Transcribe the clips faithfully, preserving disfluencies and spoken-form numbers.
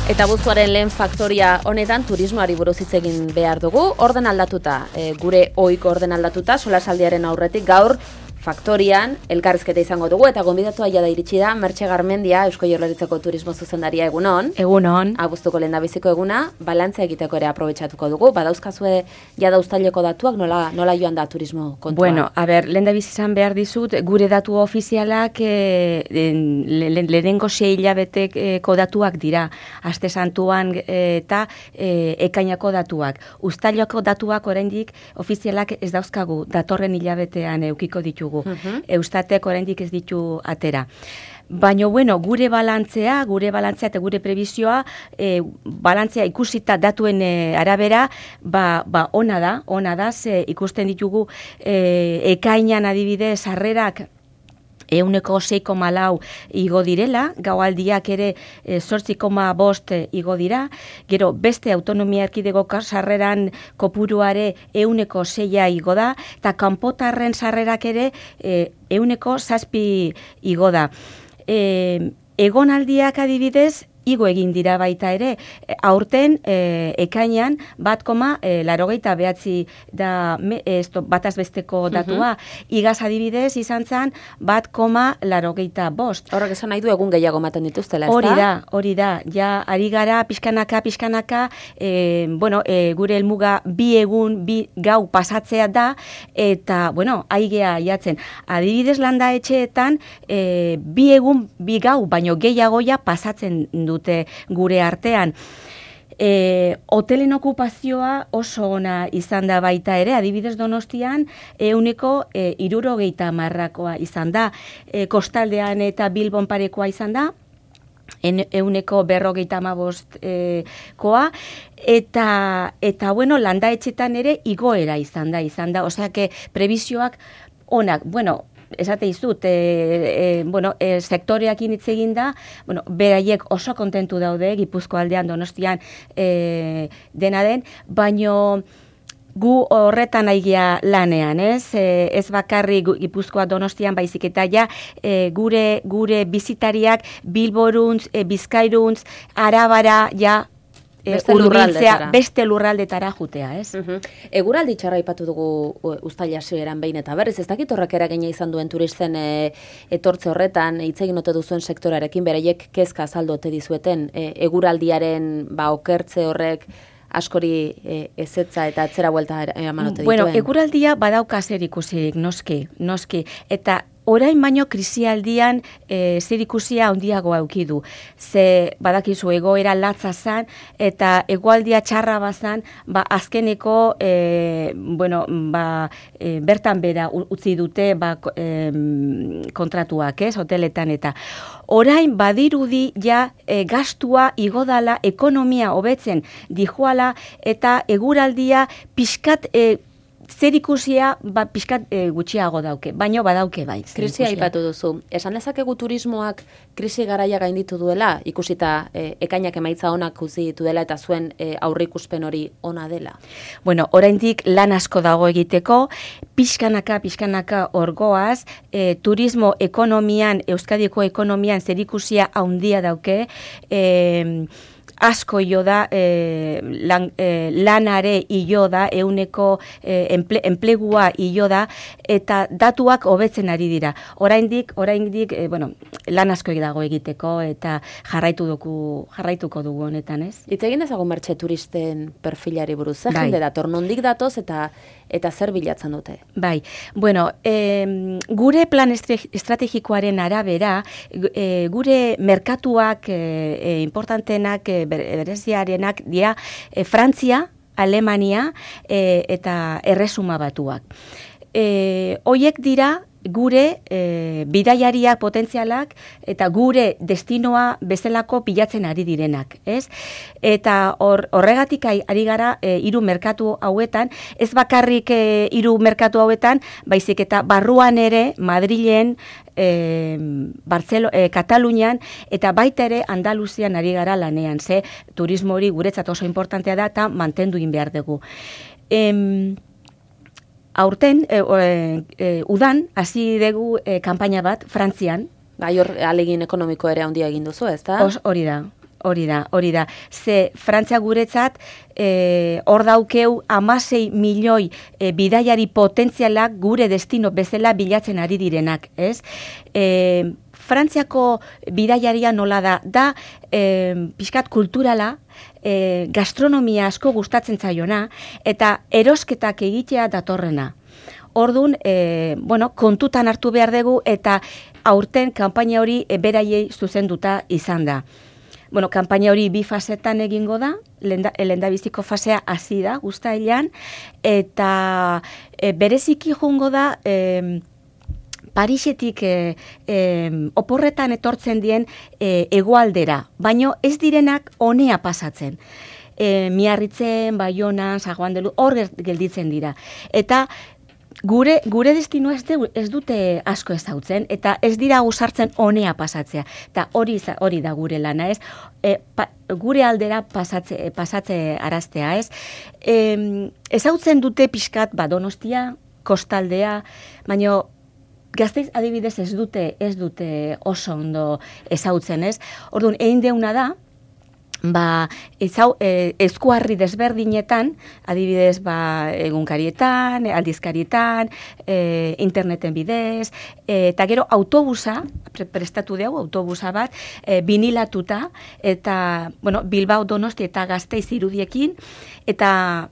Eta abuztuaren lehen faktoria honetan turismoari buruz hitz egin behar dugu, orden aldatuta, e, gure ohiko orden aldatuta, solasaldiaren aurretik gaur faktorian elkarrizketa izango dugu eta gonbidatua jada iritsi da Mertxe Garmendia, Eusko Jaurlaritzako turismo zuzendaria, egunon. Egunon. Abuztuko lehendabiziko eguna, balantzea egiteko ere aprobetxatuko dugu, badauzkazue jada uztaileko datuak, nola, nola joan da turismo kontua? Bueno, a ber, lehendabiz izan behar dizut, gure datu ofizialak e, le, lehenengo sei hilabeteko datuak dira, aste santuan e, eta e, ekainako datuak. Uztaileko datuak oraindik ofizialak ez dauzkagu, datorren hilabetean eukiko ditugu. Uh-huh. Eustatek oraindik ez ditu atera. Baina, bueno, gure balantzea, gure balantzea eta gure prebizioa, e, balantzea ikusita datuen e, arabera, ba, ba ona da, ona da, ze ikusten ditugu e, ekainan adibidez sarrerak euneko sei koma lau igo direla, gaualdiak ere e, zortzi koma bost igo dira, gero beste autonomia erkidegoko sarreran kopuruare euneko seia igo da, eta kanpotarren sarrerak ere e, euneko zazpi igo da. E, egonaldiak adibidez, igo egin dira baita ere, aurten e, ekainan bat koma e, larogeita behatzi da me, esto, batazbesteko datua, uh-huh. Igaz adibidez izan zen bat koma larogeita bost. Horrek esan nahi du egun gehiago maten dituztela, ez da? Hori da, hori da, ja ari gara pixkanaka, pixkanaka, e, bueno, e, gure helmuga bi egun, bi gau pasatzea da, eta, bueno, aigea jatzen. Adibidez landa etxeetan, e, bi egun, bi gau, baino gehiagoia pasatzen du dute gure artean. E, hotelen okupazioa oso ona izan da baita ere, adibidez Donostian euneko e, hirurogeita hamarrakoa izan da, e, kostaldean eta Bilbon parekoa izan da, euneko berrogeita hamabost e, koa, eta, eta bueno, landa etxetan ere igoera izan da, izan da, osea, que prebizioak onak, bueno, esate izut, e, e, bueno, e, sektoreak hitz egin da, bueno, beraiek oso kontentu daude, Gipuzko aldean, Donostian e, dena den, baino gu horretan aigia lanean, ez? E, ez bakarri Gipuzkoa Donostian baizik eta ja e, gure, gure bizitariak Bilboruntz, e, Bizkairuntz, Arabara, ja, Beste lurraldetara. Beste lurraldetara jutea, ez? Uh-huh. Eguraldi txarra aipatu dugu uztaila hasieran behin eta berriz, ez dakit horrek eragina izan duen turisten e, etortze horretan, hitz egin ote duzuen sektorarekin, beraiek kezka azaldu ote dizueten, e, eguraldiaren ba, okertze horrek askori e, ezetza eta atzera buelta eman ote dituen? Bueno, eguraldia badauka zer ikusirik, noski, noski, eta orain baino krisialdian e, zer ikusia handiagoa eduki du. Ze badakizu egoera latza zan eta egoaldia txarra bazan, ba azkeneko e, bueno, ba, e, bertan bera utzi dute ba, e, kontratuak, ez, hoteletan eta orain badirudi ja e, gastua igodala, ekonomia hobetzen dijoala eta eguraldia pixkat e, zer ikusia ba, pixkat e, gutxiago dauke, baino badauke bai. Krisia aipatu duzu. Esan dezakegu turismoak krisi garaia gainditu duela, ikusita e, ekainak emaitza onak utzi ditu dela eta zuen e, aurreikuspen hori ona dela? Bueno, oraindik lan asko dago egiteko, pixkanaka, pixkanaka orgoaz, e, turismo ekonomian, Euskadiko ekonomian zer ikusia handia dauke, e, asko io da, e, lan, e, lanare io da, euneko e, enple, enplegua io da, eta datuak hobetzen ari dira. Oraindik, oraindik, e, bueno, lan asko dago egiteko, eta jarraitu dugu, jarraituko dugu honetan, ez? Hitz egin dezagun Mertxe turisten perfilari buruz, zer jende dator, nondik datoz eta eta zer bilatzen dute? Bai, bueno, e, gure plan estrategikoaren arabera, e, gure merkatuak e, e, importantenak, e, bereziarenak dira e, Frantzia, Alemania e, eta Erresuma Batuak. E, hoiek dira gure e, bidaiariak potentzialak eta gure destinoa bezalako pilatzen ari direnak, ez? Eta hor, horregatik ari gara e, hiru merkatu hauetan, ez bakarrik e, hiru merkatu hauetan, baizik eta barruan ere Madrilen, e, Bartzelo, e, Katalunian eta baita ere Andaluzian ari gara lanean, ze turismo hori guretzat oso importantea da eta mantendu egin behar dugu. Em, Aurten, e, e, udan, hasi dugu e, kanpaina bat, Frantzian. Bai, hor alegin ekonomiko ere handia egin duzu, ez da? Hori da. Hori da, hori da. Ze Frantzia guretzat eh, hor daukeu hamasei milioi eh, bidaiari potentzialak gure destino bezala bilatzen ari direnak, ez? Eh, Frantziako bidaiaria nola da, da eh, pixkat kulturala, eh, gastronomia asko gustatzen zaiona, eta erosketak egitea datorrena. Orduan, eh, bueno, kontutan hartu behar dugu, eta aurten kanpaina hori e, beraiei zuzenduta izan da. Bueno, kanpaina hori bi fasetan egingo da, lehendabiziko fasea hasi da, uztailean, eta e, bereziki joango da e, Parisetik e, e, oporretan etortzen dien e, hegoaldera, baino ez direnak honea pasatzen. E, Miarritzen, Baionan, San Juan de Luz, hor gelditzen dira. Eta Gure, gure destino ez, de, ez dute asko ezautzen, eta ez dira usartzen honea pasatzea. Eta hori, hori da gure lana, ez? E, pa, gure aldera pasatze, pasatze araztea, ez? E, ezautzen dute pixkat, ba, Donostia, kostaldea, baina Gasteiz adibidez ez dute, ez dute oso ondo ezautzen, ez? Orduan, egin deuna da, ba, ezau, e, eskuarri desberdinetan, adibidez, ba, egunkarietan, aldizkarietan, e, interneten bidez, e, eta gero autobusa, pre prestatu dugu, autobusa bat, e, binilatuta, eta, bueno, Bilbao, Donosti eta Gasteiz irudiekin, eta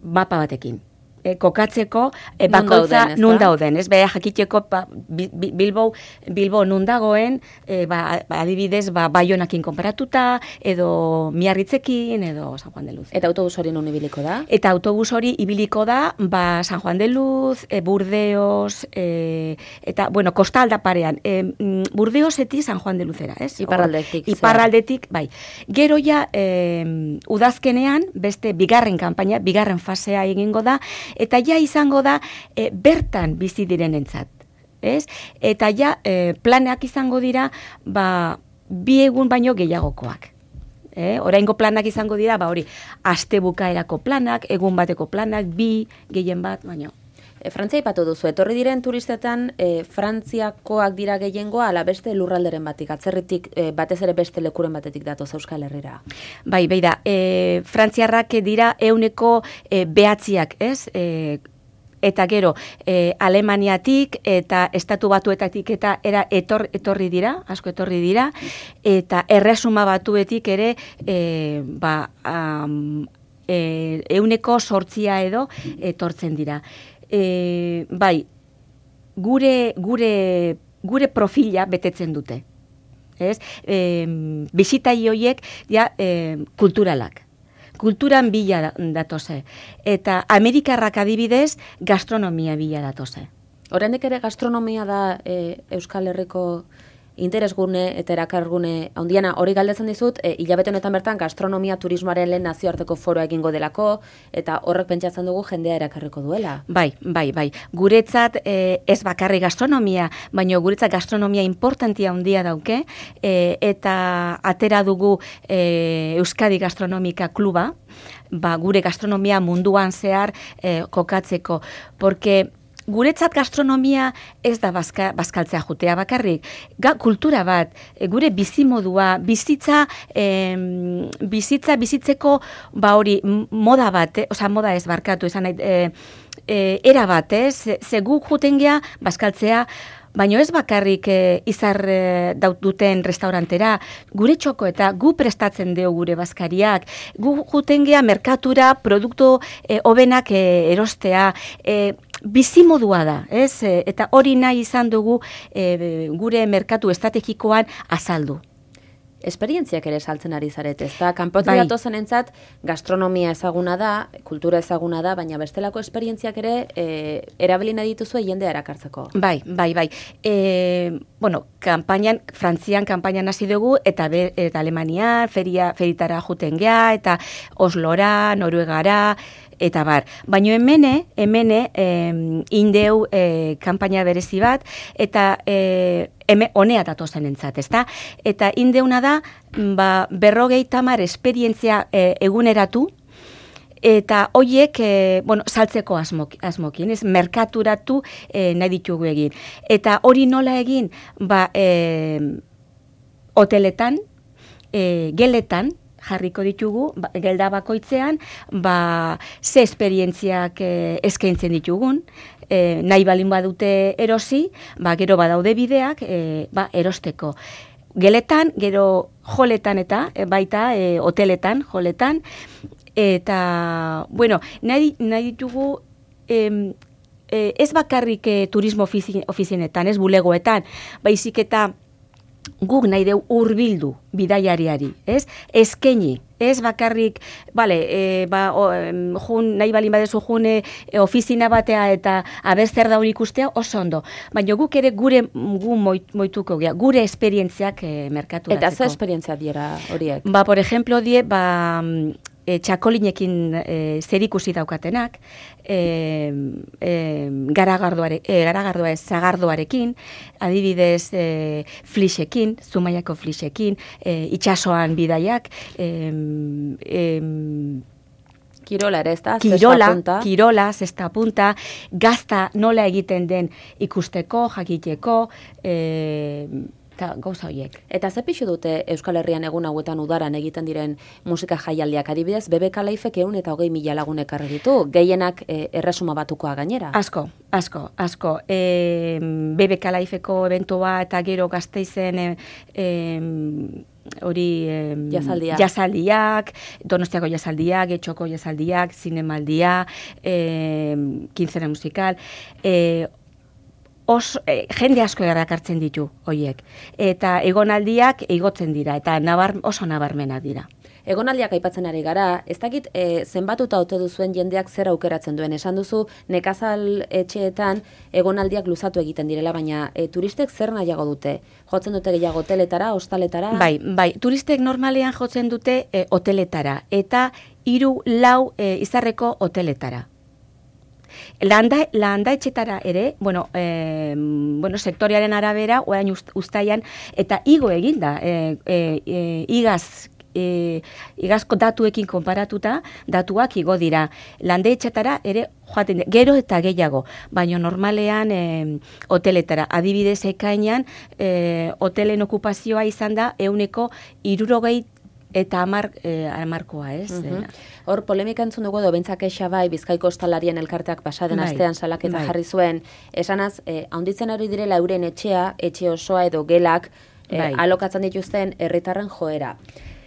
mapa batekin. E, kokatzeko e, bakoitza nun dauden, ez? Beha jakiteko ba, Bilbo, Bilbo nun dagoen, e, ba, adibidez, ba, Baionakin konparatuta, edo Miarritzekin, edo San Juan de Luz. Eta autobus hori nun ibiliko da? Eta autobus hori ibiliko da, ba, San Juan de Luz, e, Burdeos, e, eta, bueno, kostalda parean, e, Burdeosetik San Juan de Luzera, ez? Iparraldetik. Iparraldetik, bai. Gero ja, e, udazkenean, beste bigarren kanpaina, bigarren fasea egingo da, eta ja izango da e, bertan bizi direnentzat, ez? Eta ja e, planak izango dira, ba, bi egun baino gehiagokoak. Eh? Oraingo planak izango dira, ba hori, aste bukaerako planak, egun bateko planak, bi, gehien bat, baino. E, Frantzia ipatu duzu, etorri diren turistetan e, Frantziakoak dira gehiengoa, ala beste lurralderen batik, atzerritik e, batez ere beste lekuren batetik datoz Euskal Herrira. Bai, bai da, e, Frantziarrak dira euneko e, behatziak, ez? E, eta gero, e, Alemaniatik eta Estatu Batuetatik eta era etor, etorri dira, asko etorri dira, eta Erresuma Batuetik ere, e, ba, um, e, euneko sortzia edo etortzen dira. E, bai, gure, gure, gure profila betetzen dute. Ez? E, bisitai horiek ja, e, kulturalak. Kulturan bila datoze. Eta Amerikarrak adibidez, gastronomia bila datoze. Oraindik ere gastronomia da e, Euskal Herriko interesgune eta erakargune handiena. Hori galdetzen dizut, e, hilabete honetan bertan gastronomia turismoaren lehen nazioarteko foroa egingo delako, eta horrek pentsatzen dugu jendea erakarriko duela. Bai, bai, bai. Guretzat e, ez bakarri gastronomia, baina guretzat gastronomia importantia handia dauke, e, eta atera dugu e, Euskadi Gastronomika Kluba, ba, gure gastronomia munduan zehar e, kokatzeko, porque guretzat gastronomia ez da bazka, bazkaltzea jutea bakarrik. Ga, kultura bat, e, gure bizimodua, bizitza, e, bizitza, bizitzeko, ba hori, moda bat, eh? Osa, moda ez barkatu, esan nahi, e, e, era bat, eh? Ze, ze guk juten gea, bazkaltzea, baina ez bakarrik e, izar e, duten restaurantera, gure txoko eta gu prestatzen deo gure bazkariak, gu juten gea merkatura, produktu e, obenak e, erostea, e, bizimodua da, ez? E, eta hori nahi izan dugu e, gure merkatu estrategikoan azaldu. Esperientziak ere saltzen ari zaret, ez da? Kanpotik bai. Datozen entzat, gastronomia ezaguna da, kultura ezaguna da, baina bestelako esperientziak ere e, erabilina dituzu jendea erakartzeko. Bai, bai, bai. E, bueno, kanpainan, Frantzian kanpainan hasi dugu, eta, be, eta Alemanian, feria, feritara juten gea, eta Oslora, Noruegara, eta bar. Baina hemene, hemene, eh, indeu eh, kanpaina berezi bat, eta eh, heme honea datozen entzat, ezta? Eta indeuna da, ba, berrogei tamar esperientzia eh, eguneratu, eta hoiek, eh, bueno, saltzeko asmok, asmokin, ez, merkaturatu eh, nahi ditugu egin. Eta hori nola egin, ba, eh, hoteletan, e, geletan, jarriko ditugu, ba, gelda bakoitzean, ba, ze esperientziak e, eskaintzen ditugun, e, nahi balin badute erosi, ba, gero badaude bideak, e, ba, erosteko. Geletan, gero joletan eta, e, baita, e, hoteletan, joletan, eta, bueno, nahi, nahi ditugu, e, e, ez bakarrik e, turismo ofizi, ofizienetan, ez bulegoetan, baizik eta, guk nahi deu hurbildu bidaiariari, ez? Eskaini, ez bakarrik, bale, e, ba, o, jun, nahi balin badezu jun e, ofizina batea eta aber zer da hori ikustea, oso ondo. Baina guk ere gure gu moit, moituko gea, gure esperientziak e, merkaturatzeko. Eta ze esperientzia diera horiek? Ba, por ejemplo, die, ba, e, txakolinekin e, zer ikusi daukatenak, e, e, garagardoare, e, garagardoa ez, zagardoarekin, adibidez e, flixekin, Zumaiako flixekin, e, itxasoan bidaiak, e, e, Kirola ere, ez da? Kirola, kirola, zesta punta, gazta nola egiten den ikusteko, jakiteko, e, eta gauza horiek. Eta ze pixu dute Euskal Herrian egun hauetan udaran egiten diren musika jaialdiak, adibidez, B B K Laifek ehun eta hogei mila lagun ekarri ditu, gehienak e, erresuma batukoa gainera? Asko, asko, asko. E, B B K Laifeko eventua eta gero Gasteizen e, e, hori e, Jazaldia. jazaldiak, Donostiako jazaldiak, Getxoko jazaldiak, zinemaldia, e, kintzena musikal, e, Os, eh, jende asko erakartzen ditu hoiek. Eta egonaldiak igotzen dira, eta nabar, oso nabarmena dira. Egonaldiak aipatzen ari gara, ez dakit e, zenbatuta ote duzuen jendeak zer aukeratzen duen. Esan duzu, nekazal etxeetan egonaldiak luzatu egiten direla, baina e, turistek zer nahiago dute? Jotzen dute gehiago hoteletara, hostaletara? Bai, bai, turistek normalean jotzen dute e, hoteletara, eta hiru lau e, izarreko hoteletara. Landa, landa etxetara ere, bueno, e, bueno, sektoriaren arabera, orain uztaian, eta igo eginda, e, e, e, igaz, e, igazko datuekin konparatuta, datuak igo dira. Landa etxetara ere joaten, gero eta gehiago, baina normalean e, hoteletara, adibidez ekainan, e, hotelen okupazioa izan da, euneko irurogei eta amar, eh, amarkoa, ez? Uh-huh. Hor, polemika entzun dugu edo bentzak esa bai, Bizkaiko Ostalarien elkarteak pasaden bai, astean salaketa bai. jarri zuen, esanaz, eh, haunditzen ari direla euren etxea, etxe osoa edo gelak, eh, bai. alokatzen dituzten herritarren joera.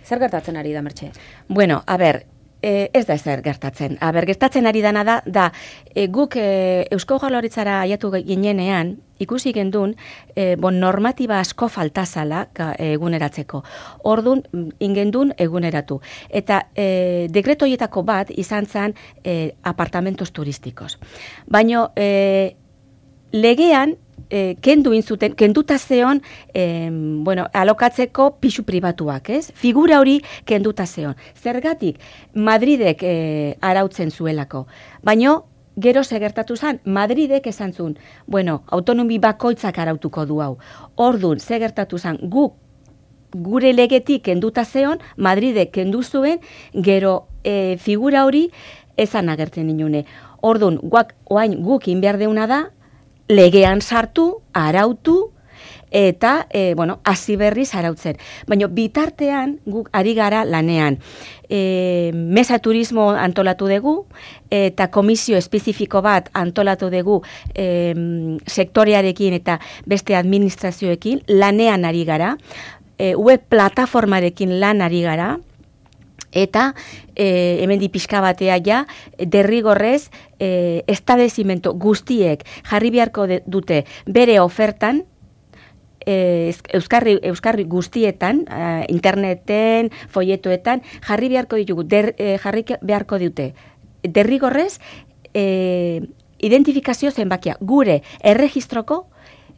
Zer gertatzen ari da, Mertxe? Bueno, a ber, E, ez da ezer gertatzen. Aber, gertatzen ari dana da, da e, guk e, Eusko Jaurlaritzara aiatu ginenean, ikusi gendun, e, bon, normatiba asko faltazala eguneratzeko. Ordun ingendun eguneratu. Eta e, dekreto horietako bat izan zen e, apartamentos turistikos. Baina e, legean, E, kendu inzuten, kenduta zeon, e, bueno, alokatzeko pisu pribatuak, ez? Figura hori kenduta zeon. Zergatik, Madridek e, arautzen zuelako. Baina, gero segertatu zen, Madridek esan zuen, bueno, autonomi bakoitzak arautuko du hau. Ordun, segertatu zen, guk, gure legetik kenduta zeon, Madridek kendu zuen, gero e, figura hori ezan agertzen inune. Ordun, guak, oain guk inbehar deuna da, legean sartu, arautu, eta, e, bueno, hasi berriz arautzen. Baina bitartean, guk ari gara lanean. E, mesa turismo antolatu dugu, eta komisio espezifiko bat antolatu dugu e, sektorearekin eta beste administrazioekin, lanean ari gara, e, web plataformarekin lan ari gara, eta e, hemen di pixka batea ja, derrigorrez e, estabezimento guztiek jarri beharko de, dute bere ofertan, e, euskarri, euskarri guztietan, e, interneten, folletoetan, jarri beharko ditugu, der, e, jarri beharko dute derrigorrez e, identifikazio zenbakia, gure erregistroko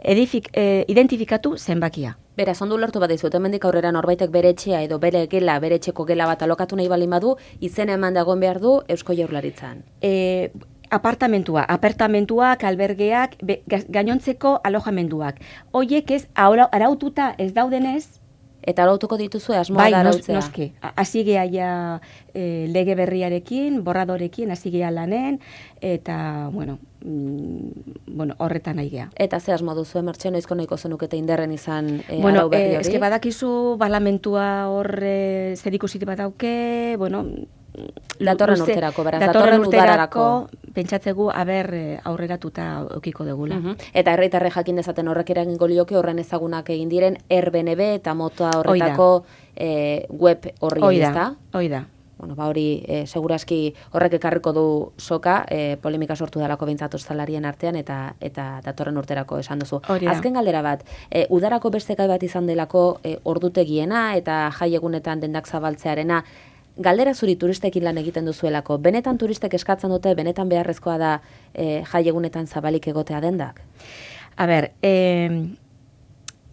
edifik, e, identifikatu zenbakia. Beraz, ondo lertu bat dizut, hemendik aurrera norbaitek bere etxea edo bere gela, bere etxeko gela bat alokatu nahi balin badu, izena eman dagoen behar du Eusko Jaurlaritzan. E, apartamentua, apartamentuak, albergeak, be, gainontzeko alojamenduak. Hoiek ez, araututa ez daudenez, eta arautuko dituzue asmoa bai, da arautzea. Bai, noski. Hasi gea ja e, lege berriarekin, borradorekin, hasi gea lanen, eta, bueno, mm, bueno, horretan nahi gea. Eta ze asmo duzu, Mertxe, noizko nahiko zenukete inderren izan e, bueno, arau berri eh, hori? eske badakizu balamentua hor e, zer ikusit bat dauke, bueno, datorren luze- urterako, beraz, datorren datorren urterako, udararako. pentsatzegu, aber, eh, aurreratuta eukiko degula. Mhm. Eta herritarre jakin dezaten horrek eragingo lioke horren ezagunak egin diren Airbnb eta mota horretako e, web horri, Hoi da, ezta? hoi da. Bueno, ba hori, e, seguraski horrek ekarriko du soka, e, polemika sortu dalako behintzat ostalarien artean, eta eta datorren urterako esan duzu. Hori da. Azken galdera bat, e, udarako beste gai bat izan delako e, ordutegiena eta jaiegunetan dendak zabaltzearena, galdera zuri turistekin lan egiten duzuelako, benetan turistek eskatzen dute, benetan beharrezkoa da e, jaiegunetan zabalik egotea dendak? A ber, eh,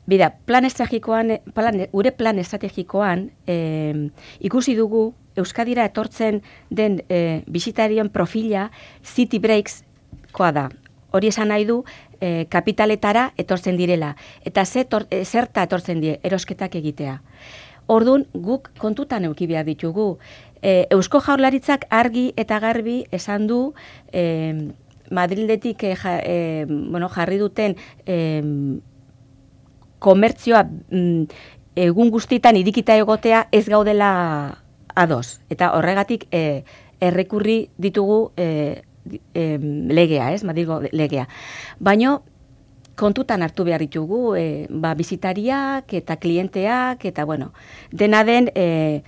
bida, plan estrategikoan, plan, gure plan estrategikoan eh, ikusi dugu Euskadira etortzen den eh, bisitarien profila City Breaks koa da. Hori esan nahi du eh, kapitaletara etortzen direla. Eta ze tor, eh, zerta etortzen die, erosketak egitea. Orduan, guk kontutan euki behar ditugu. E, Eusko Jaurlaritzak argi eta garbi esan du e, Madrildetik e, ja, e, bueno, jarri duten e, komertzioa mm, egun guztietan irikita egotea ez gaudela ados. Eta horregatik e, errekurri ditugu e, e, legea, ez? Madrilgo legea. Baina kontutan hartu behar ditugu, e, ba, bizitariak eta klienteak, eta bueno, dena den e,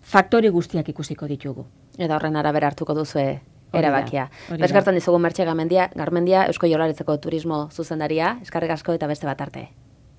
faktori guztiak ikusiko ditugu. Eta horren arabera hartuko duzue Hori da, erabakia. hori da. Eskartzen dizugu Mertxe Garmendia, Garmendia, Eusko Jaurlaritzako turismo zuzendaria, eskarrik asko eta beste bat arte.